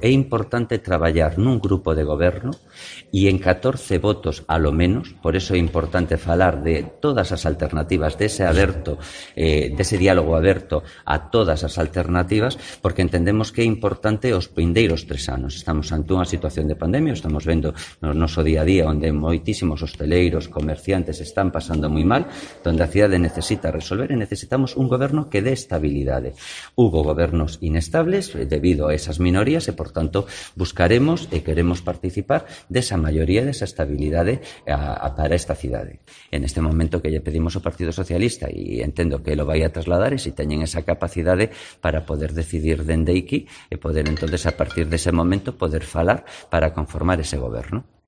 É importante traballar nun grupo de goberno e en 14 votos a lo menos, por eso é importante falar de todas as alternativas, dese diálogo aberto a todas as alternativas, porque entendemos que é importante os vindeiros 3 anos. Estamos ante unha situación de pandemia, estamos vendo no noso día a día onde moitísimos hosteleiros, comerciantes están pasando moi mal, onde a cidade necesita resolver e necesitamos un goberno que dé estabilidade. Hubo gobernos inestables debido a esas minorías e, por tanto, buscaremos e queremos participar desa maioría, desa estabilidade para esta cidade. En este momento que lle pedimos ao Partido Socialista, e entendo que lo vai a trasladar, e se teñen esa capacidade para poder decidir dende aquí e poder, entonces, a partir dese momento, poder falar para conformar ese goberno.